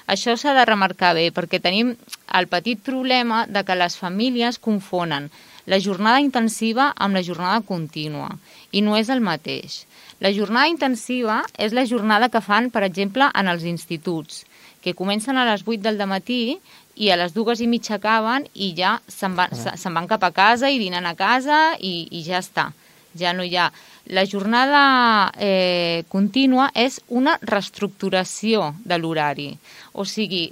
això s'ha de remarcar bé, perquè tenim el petit problema de que les famílies confonen la jornada intensiva amb la jornada contínua, i no és el mateix. La jornada intensiva és la jornada que fan, per exemple, en els instituts, que comencen a les 8 del matí i a les 2:30 acaben i ja se'n van cap a casa i dinen a casa i ja està. Ja no hi ha... La jornada contínua és una reestructuració de l'horari. O sigui,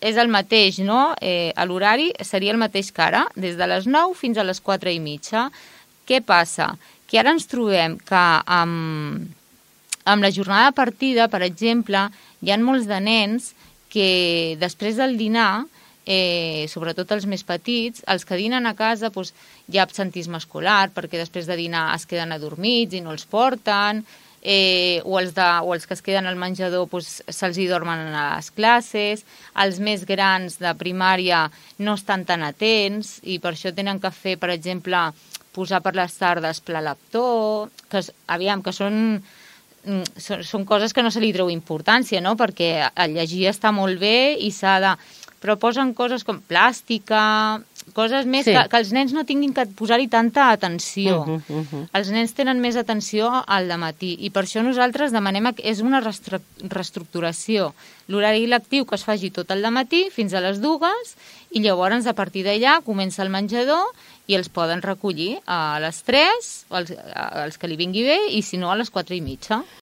és el mateix, no? L'horari seria el mateix que ara, des de les 9 fins a les 4:30. Què passa? Que ara ens trobem que amb la jornada de partida, per exemple, hi ha molts de nens que després del dinar, sobretot els més petits, els que dinen a casa, hi ha absentisme escolar, perquè després de dinar es queden adormits i no els porten, o els que es queden al menjador se'ls hi dormen a les classes, els més grans de primària no estan tan atents i per això tenen que fer, per exemple, posar per les tardes pla leptó, que són coses que no se li treu importància, no? Perquè el llegir està molt bé i s'ha de... Però posen coses com plàstica, coses més que els nens no tinguin que posar-hi tanta atenció. Els nens tenen més atenció al dematí i per això nosaltres demanem que és una reestructuració. L'horari lectiu que es faci tot el dematí fins a les 2 i llavors a partir d'allà comença el menjador i els poden recollir a les 3, els que li vingui bé, i si no a les 4:30.